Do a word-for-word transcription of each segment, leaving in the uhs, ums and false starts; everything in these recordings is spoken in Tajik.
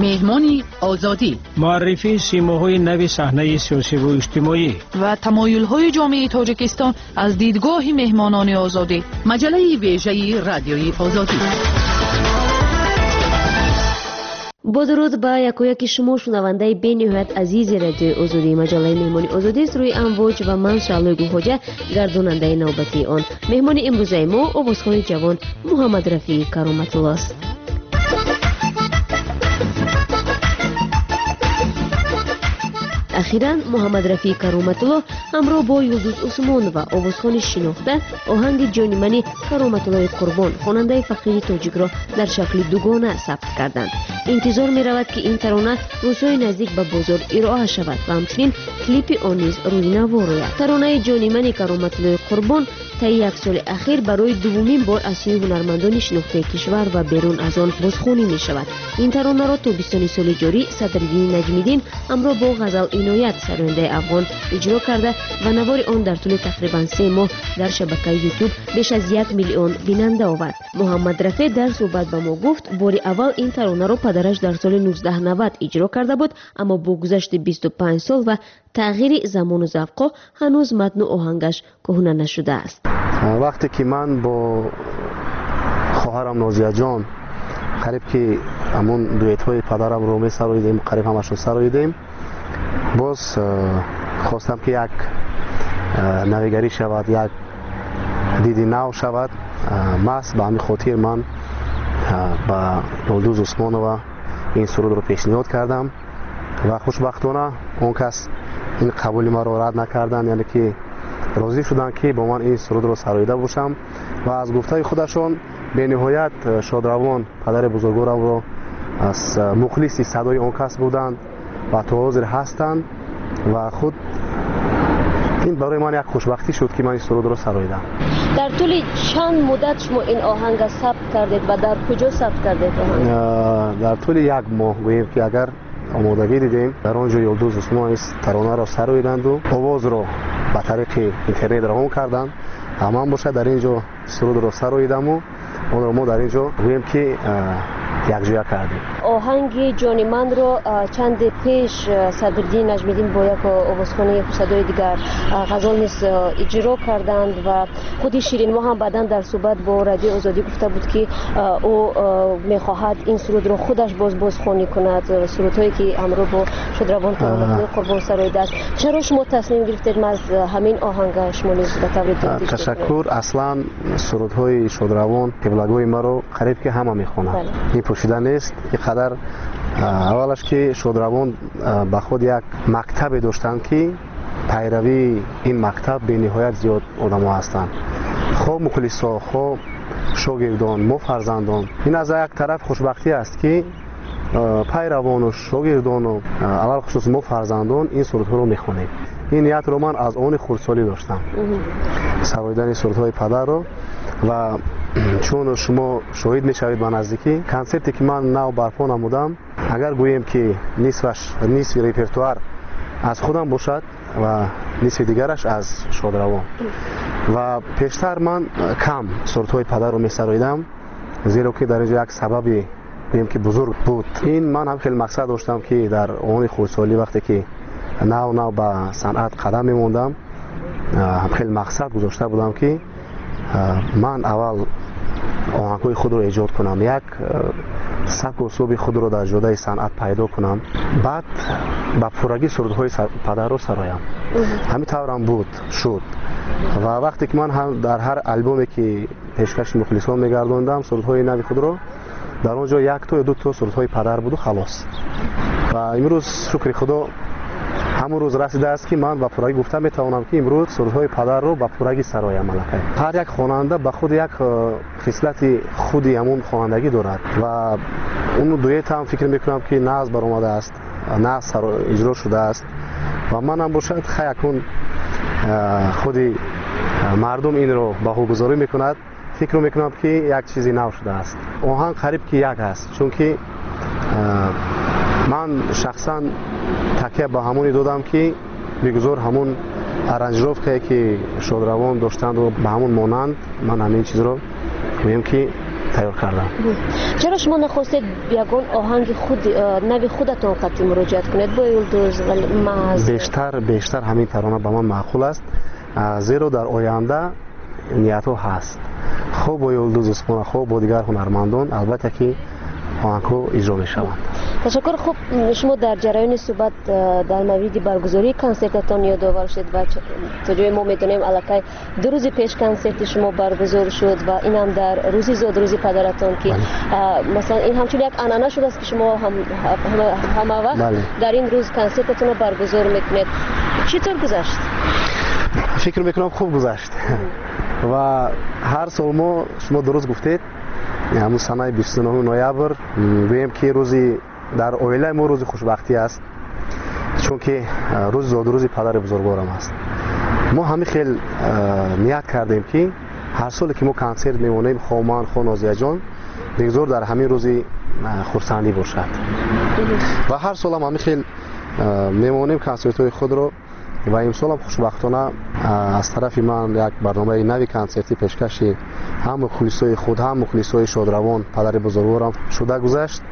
Меҳмони Озодӣ, муаррифии симоҳои нави саҳнаи сиёсиву иҷтимоӣ ва тамоюлҳои ҷомеаи Тоҷикистон аз дидгоҳи меҳмонони Озодӣ. Маҷаллаи вежаи Радиои Озодӣ. Бо дуруд ба якояки шумо, шунавандаи бениҳоят азизи Радиои Озодӣ. Маҷаллаи Меҳмони Озодист рӯи амвоҷ ва ман Шаълои Гулхоҷа, гардонандаи навбатии он. Меҳмони имрӯзаи мо овозхони ҷавон Муҳаммад Рафеъ Кароматулло аст. Ахиран Муҳаммад Рафеъ Кароматулло ҳамроҳ бо Юлдуз Усмонова, овозхони шинохта, оҳанги ҷонимани Кароматуллои Қурбон, хонандаи фақири тоҷикро дар шакли дугона сабт карданд. Интизор меравад, ки ин тарона рӯзҳои наздик ба бозор ироа шавад ва ҳамчунин клипи он низ рӯи навор ояд. Таронаи ҷонимани Кароматуллои Қурбон таи як соли ахир барои дуввумин бор аз сӯи ҳунармандони шинохтаи кишвар ва берун аз он бозхонӣ мешавад. Ин таронаро тобистони соли ҷорӣ Садриддин Наҷмиддин ҳамроҳ бо Ғазал Иноят, сарояндаи афғон, иҷро карда ва навори он дар тӯли тақрибан се моҳ дар шабакаи Ютуб беш аз як миллион бинанда овард. Муҳаммад Рафеъ дар суҳбат ба мо гуфт, бори аввал ин таронаро падараш дар соли нуздаҳ навад иҷро карда буд, аммо бо гузашти бисту панҷ сол ва тағйири замону завқҳо ҳанӯз матну оҳангаш кӯҳна нашудааст. Вақте ки ман бо хоҳарам Нозияҷон қариб ки ҳамон дуэтҳои падарамро месароидем, қариб ҳамашро сароидем, боз хостам ки як навигарӣ шавад, як диди нав шавад. Маҳз ба ҳамин хотир ман ба Юлдуз Усмонова ин сурудро пешниҳод кардам ва хушбахтона он кас ин қабули маро рад накарданд, яъне ки розӣ шуданд, ки бо ман ин сурудро сароида бошам ва аз гуфтаи худашон бениҳоят шодравон падари бузургворамро аз мухлиси садои он кас буданд ва то ҳозир ҳастанд ва худ ин барои ман як хушбахтӣ шуд, ки ман ин сурудро сароидам. Дар тӯли чанд муддат шумо ин оҳанга сабт кардед ва дар куҷо сабт кардед оҳанг? Дар тӯли як моҳ гӯем ки агар омодагӣ дидем, дар он ҷо Юлдуз Усмонова таронаро сароиданду овозро ба тариқи интернет равон карданд. Ман бошад дар ин ҷо сурудро сароидаму онро мо дар ин ҷо гӯем ки якҷоя кардем. Оҳанги ҷониманро чанде пеш Садриддин Наҷмиддин бо як овозхони хушсадои дигар Ғазал низ иҷро карданд ва худи Ширинмо ҳам баъдан дар суҳбат бо Радиои Озодӣ гуфта буд, ки ӯ мехоҳад ин сурудро худаш боз бозхонӣ кунад, сурудҳое ки ҳамроҳ бо шодравон Кароматуллои Қурбон сароидааст. Чаро шумо тасмим гирифтед маз ҳамин оҳанга шумо низ ба таври дуруст иҷро кунед? Ташаккур. Аслан сурудҳои шодравон қиблагоҳи маро қариб ки ҳама мехонанд. Ин пӯшида нест. Ин қадар аввалаш ки шодравон ба худ як мактабе доштанд, ки пайравии ин мактаб бениҳоят зиёд одамо ҳастанд, хо мухлисо, хо шогирдон, мо фарзандон. Ин аз як тараф хушбахтӣ аст, ки пайравону шогирдону алалхусус мо фарзандон ин сурудҳоро мехонем. Ин ниятро ман аз они хурдсолӣ доштам, сароидани сурудҳои падарро. Ва чун шумо шоҳид мешавед ба наздикӣ, консерте ки ман нав барпо намудам, агар гӯем ки нисфаш, нисфи репертуар аз худам бошад ва нисфи дигараш аз шодравон. Ва пештар ман кам сурудҳои падарро месароидам, зеро ки дар ин ҷо як сабаби гӯем ки бузург буд. Ин ман ҳам хеле мақсад доштам, ки дар они хурдсолӣ вақте ки нав нав ба санъат қадам мемондам, ҳам хеле мақсад гузошта будам, ки ман аввал оҳангҳои худро эҷод кунам, як сабку услуби худро дар ҷодаи санъат пайдо кунам, баъд ба пуррагӣ сурудҳои падарро сароям. Ҳамин таврам буд, шуд. Ва вақте ки ман дар ҳар албоме ки пешкаши мухлисон мегардондам сурудҳои нави худро, дар он ҷо якто ё дуто сурудҳои падар буду халос. Ва имрӯз шукри Худо ҳамон рӯз расидааст, ки ман ба пуррагӣ гуфта метавонам, ки имрӯз сурудҳои падарро ба пуррагӣ сароям. Аллакай ҳар як хонанда ба худ як хислати худи ҳамон хонандагӣ дорад ва он дуэт ҳам фикр мекунам, ки нағз баромадааст, нағз иҷро шудааст ва манам бошад хай акнун худи мардум инро баҳогузорӣ мекунад. Фикр мекунам, ки як чизи нав шудааст. Оҳанг қариб ки як аст, чунки ман шахсан такя ба ҳамоне додам, ки бигузор ҳамон аранжировкае ки шодравон доштанд ба ҳамон монанд, ман ҳамин чизро гӯем ки тайёр кардам. Чаро шумо нахостед ягон оҳанги худ нави худатон қатъи муроҷиат кунед бо Юлдуз ва маҳз? Бештар бештар ҳамин тарона ба ман маъқул аст, зеро дар оянда ниятҳо ҳаст. Хуб бо Юлдуз Усмонова, хуб бо дигар ҳунармандон албатта ки оҳангҳо иҷро мешаванд. Ташаккур. Хуб, шумо дар ҷараёни суҳбат дар мавриди баргузории консертатон ёдовар шуд ва то ҷое мо медонем аллакай ду рӯзи пеш консерти шумо баргузор шуд ва инам дар рӯзи зодрӯзи падаратон, ки масалан ин ҳамчун як анъана шудааст, ки шумо ҳама вақт дар ин рӯз консертатонро баргузор мекунед. Чӣ тавр гузашт? Фикр мекунам хуб гузашт ва ҳар сол мо, шумо дуруст гуфтед, ҳамун санаи бисту нӯҳуми ноябр гӯем ки рӯзи дар оилаи мо рӯзи хушбахтӣ аст, чунки рӯзи зодрӯзи падари бузургворам аст. Мо ҳамин хел ният кардем, ки ҳар соле ки мо консерт мемонем, хо ман, хо Нозияҷон, бигзор дар ҳамин рӯзи хурсандӣ бошад. Ва ҳар солам ҳамин хел мемонем консертҳои худро ва имсолам хушбахтона аз тарафи ман як барномаи нави консертӣ пешкаши ҳам мухлисои худ, ҳам мухлисои шодравон падари бузургворам шуда гузашт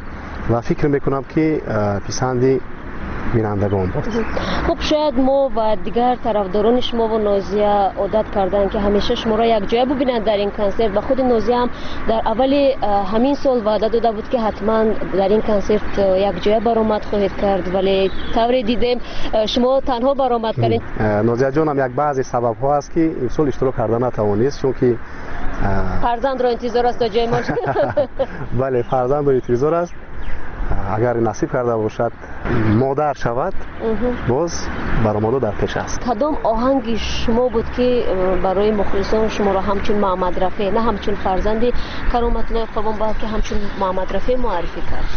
ва фикр мекунам, ки писанди бинандагон буд. Хуб, шояд мо ва дигар тарафдорони шумо ва Нозия одат карданд, ки ҳамеша шуморо якҷоя бубинанд дар ин консерт ва худи Нозия ҳам дар аввали ҳамин сол ваъда дода буд, ки ҳатман дар ин консерт якҷоя баромад хоҳед кард, вале тавре дидем шумо танҳо баромад кардед. Нозияҷонам як баъзе сабабҳо аст, ки имсол иштирок карда натавонист, чунки фарзандро интизор аст то ҷои мо. Бале, фарзандро интизор аст. Агар насиб карда бошад, модар шавад, боз баромадо дар пеш аст. Кадом оҳанги шумо буд, ки барои мухлисон шуморо ҳамчун Муҳаммад Рафеъ, на ҳамчун фарзанди Кароматуллои Қурбон, балки ҳамчун Муҳаммад Рафеъ муаррифӣ кард?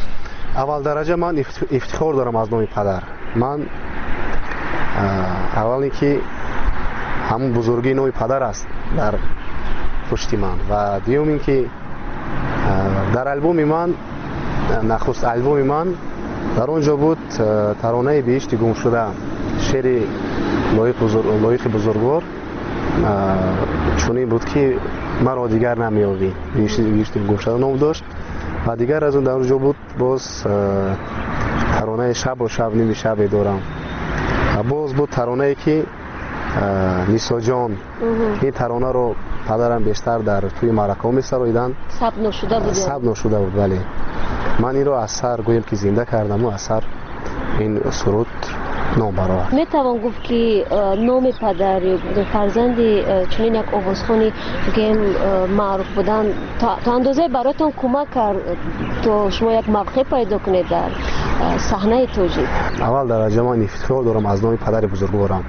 Аввал дараҷа ман ифтихор дорам аз номи падар. Ман аввал ин ки ҳамун бузургии номи падар аст дар пушти ман ва дуюм ин ки дар албоми ман, нахуст албоми ман, дар он ҷо буд таронаи биҳишти гумшуда, шеъри Лоиқи бузургвор чунин буд, ки маро дигар намеёбӣ, биҳишти гумшуда ном дошт. Ва дигар аз он дар он ҷо буд боз таронаи шабо шаб ними шабе дорам. Боз буд таронае, ки Нисоҷон, ин таронаро падарам бештар дар тӯи маъракаҳо месароиданд. Сабт нашуда буд? Сабт нашуда буд, бале. Ман инро аз сар гӯем ки зинда кардаму аз сар ин суруд ном баровард. Метавон гуфт, ки номи падар ё фарзанди чунин як овозхони гӯем маъруф будан то андозае бароятон кӯмак кард, то шумо як мавқеъ пайдо кунед дар саҳнаи тоҷик? Аввал дараҷа ман ифтихор дорам аз номи падари бузургворам.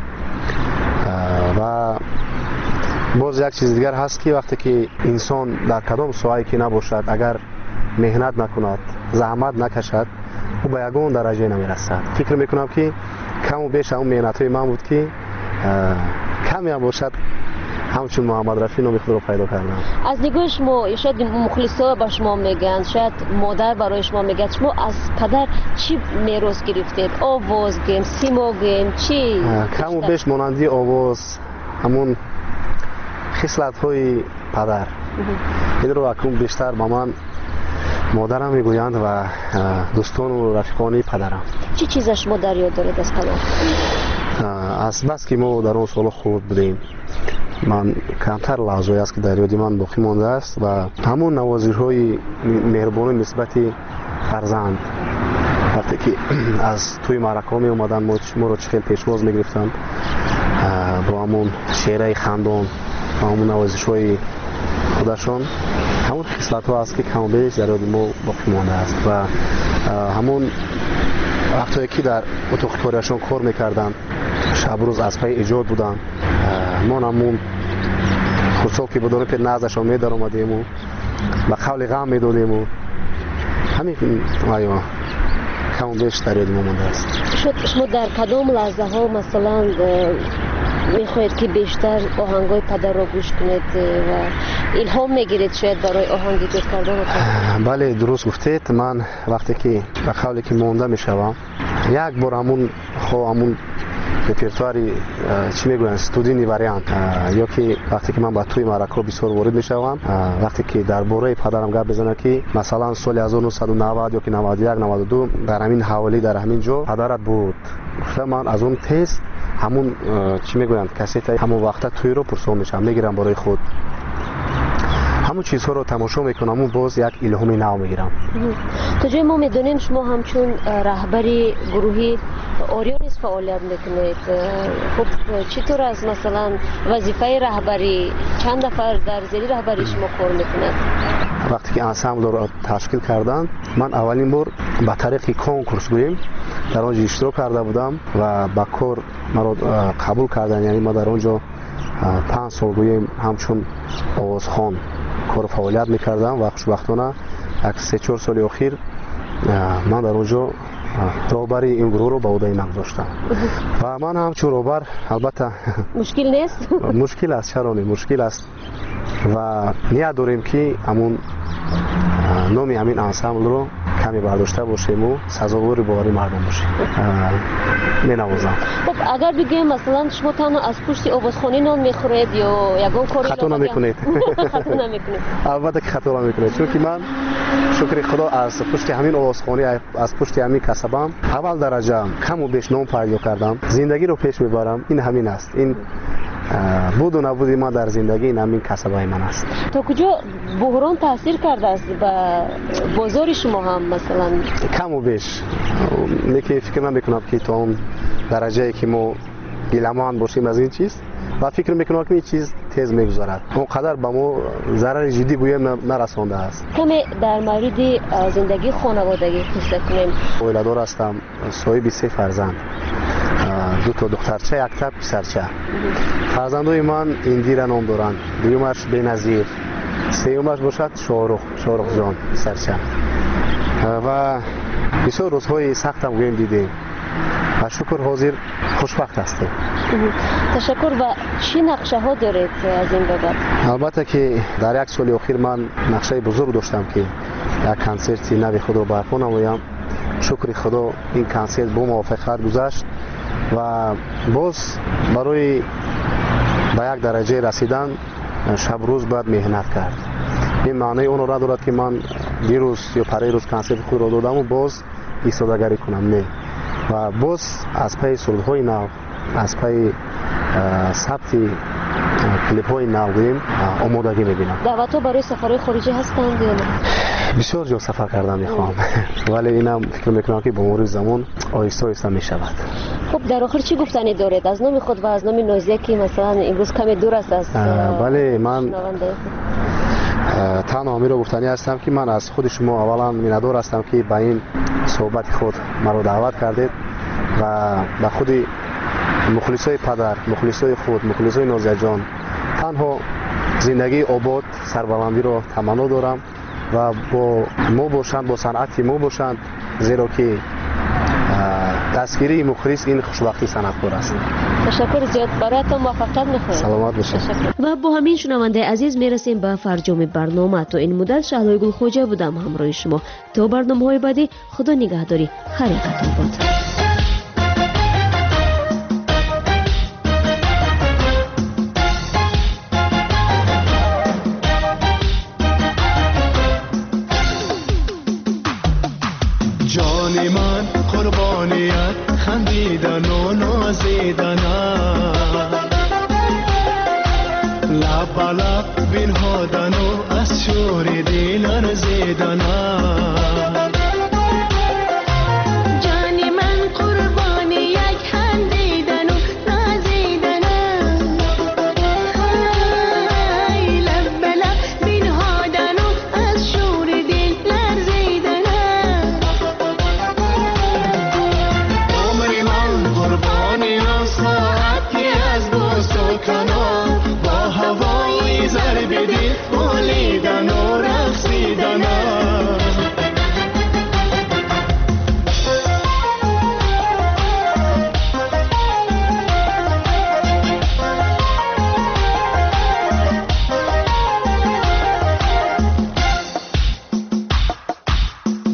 Ва боз як чизи дигар ҳаст, ки вақте ки инсон дар кадом соҳае ки набошад, агар меҳнат накунад, заҳмат накашад, ӯ ба ягон дараҷае намерасад. Фикр мекунам, ки каму беш ҳамун меҳнатҳои ман буд, ки камеам бошад ҳамчун Муҳаммад Рафеъ номи худро пайдо кардам. Аз нигоҳи шумо, шояд мухлисо ба шумо мегӯянд, шояд модар барои шумо мегӯяд, шумо аз падар чӣ мерос гирифтед? Овоз гӯем, симо гӯем, чӣ? Каму беш монанди овоз, ҳамун хислатҳои падар. Инро акнун бештар ба ман модарам мегӯянд ва дӯстону рафиқони падарам. Чӣ чиза шумо дар ёд доред аз падар? Аз бас ки мо дар он солҳо хурд будем, ман камтар лаҳзое аст, ки дар ёди ман боқӣ мондааст ва ҳамон навозишҳои меҳрубонӣ нисбати фарзанд, вақте ки аз тӯи маъракаҳо меомаданд, моро чӣ хел пешвоз мегирифтанд бо ҳамон чеҳраи хандон, бо ҳамон навозишҳои худашон, ҳамон хислатҳо аст, ки каму беш дар ёди мо боқӣ мондааст. Ва ҳамон вақтое ки дар утоқи кориашон кор мекарданд, шабрӯз аз пайи эҷод буданд, мо ҳамун хурдсол ки будем, пеш наздашон медаромадему ба қавли ғам медодему ҳамин аё каму беш дар ёди мо мондааст. Шумо дар кадом лаҳзаҳо масалан мехоҳед, ки бештар оҳангҳои падарро гӯш кунед ва илҳом мегиред шояд барои оҳанг эҷод карданатон? Бале, дуруст гуфтед. Ман вақте ки ба қавле ки монда мешавам, як бор ҳамун хо ҳамун репертуари чӣ мегӯянд, студийный вариант, ё ки вақте ки ман ба тӯи маъракаҳо бисёр ворид мешавам, вақте ки дар бораи падарам гап мезанад, ки масалан соли ҳазору нӯҳсаду навад ё ки наваду як, наваду ду дар ҳамин ҳавлӣ, дар ҳамин ҷо падарат буд, гуфта ман аз он тез ҳамун чӣ мегӯянд кассетаи ҳамон вақта тӯйро пурсон мешавам, мегирам барои худ. Ҳамон чизҳоро тамошо мекунам ва боз як илҳоми нав мегирам. То ҷое мо медонем шумо ҳамчун раҳбари гурӯҳи Ориё низ фаъолият мекунед. Хуб, чӣ тавр аст масалан вазифаи раҳбарӣ? Чанд нафар дар зери раҳбарии шумо кор мекунад? Вақте ки ансамблро ташкил карданд, ман аввалин бор ба тариқи конкурс гӯем дар он ҷо иштирок карда будам ва ба кор маро қабул карданд. Яъне ман дар он ҷо панҷ сол гӯем ҳамчун овозхон кору фаъолият мекардам ва хушбахтона як се-чор соли охир ман дар он ҷо роҳбари ин гурӯҳро ба ӯҳдаи ман гузоштам ва ман ҳамчун роҳбар албатта мушкил нест? Мушкил аст, чаро не, мушкил аст ва ният дорем ки ҳамун номи ҳамин ансамблро каме бардошта бошему сазовори бовари мардум бошем. Менавозам. Хуб, агар бигӯем масалан шумо танҳо аз пушти овозхонӣ нон мехӯред ё ягон кори хато намекунед? Хато намекунед. Албатта ки хато намекунед, чунки ман шукри худо аз пушти ҳамин овозхонӣ, аз пушти ҳамин касабам аввал дараҷа каму беш ном пайдо кардам, зиндагиро пеш мебарам. Ин ҳамин аст, ин буду набуди ман дар зиндагӣ ин ҳамин касабаи ман аст. То куҷо буҳрон таъсир кардааст ба бозори шумо ҳам масалан? Каму беш, лекин фикр намекунам ки то он дараҷае ки мо гиламанд бошем аз ин чиз, ва фикр мекунам ки ин чиз тез мегузарад, он қадар ба мо зарари ҷиддӣ гӯем нарасондааст. Каме дар мавриди зиндагии хонаводагӣ қисса кунем. Оиладор ҳастам, соҳиби се фарзанд, ду то духтарча, якта писарча. Фарзандои ман Индира ном доранд, дуюмаш Беназир, сеюмаш бошад Шоҳрух, Шоҳрухҷон писарча. Ва бисёр рӯзҳои сахтам гӯем дидем ва шукр ҳозир хушбахт ҳастем. Ташаккур. Ва чӣ нақшаҳо доред аз ин бобат? Албатта ки дар як соли охир ман нақшаи бузург доштам ки як консерти нави худро барпо намоям. Шукри худо ин консерт бо муваффақият гузашт ва боз барои ба як дараҷае расидан шабрӯз бояд меҳнат кард. Ин маънои онро надорад ки ман дирӯз ё парирӯз консерти худро додаму боз истодагарӣ кунам, не. Ва боз аз пайи сурудҳои нав, аз пайи сабти клипҳои нав гӯем омодагӣ мебинам. Даъватҳо барои сафарҳои хориҷӣ ҳастанд ё не? Бисёр ҷо сафар кардан мехоҳам, вале инам фикр мекунам ки бо мурури замон оҳиста оҳиста мешавад. Хуб, дар охир чӣ гуфтанӣ доред аз номи худ ва аз номи Нозия ки масалан имрӯз каме дур аст аз бале, ман танҳо ҳаминро гуфтанӣ ҳастам ки ман аз худи шумо аввалан миннатдор ҳастам ки ба ин суҳбати худ маро даъват кардед ва ба худи мухлисои падар, мухлисои худ, мухлисои Нозияҷон танҳо зиндагии обод, сарбаландиро таманно дорам ва бо мо бошанд, бо санъати мо бошанд, зеро ки дастгирии мухлис ин хушбахтии санъаткор аст. Ташаккур зиёд, бароятон муваффақият мехоҳем. Саломат бошед. Ва бо ҳамин шунавандаи азиз мерасем ба фарҷоми барнома. То ин муддат Шаҳлои Гулхоҷа будам ҳамроҳи шумо. То барномаҳои баъдӣ худо нигаҳдорӣ. Хайр бод. ҷони ман қурбоният хандидану нозидана, лаб ба лаб бинҳодану аз шӯри дил арзидана. ҷони ман қурбони як хандидану нозидана, лаб ба лаб бинҳодану аз шӯри дил арзидана. Умри ман қурбони он соат ки аз бӯсу канор бо ҳавои зарби дил болидану рақсидана.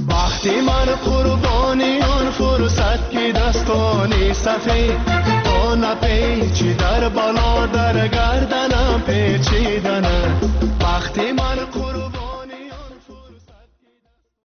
Бахти ман қурбони он фурсат ки Дастони сафед то напечи дар бало дар гарданам печидана бахти ман.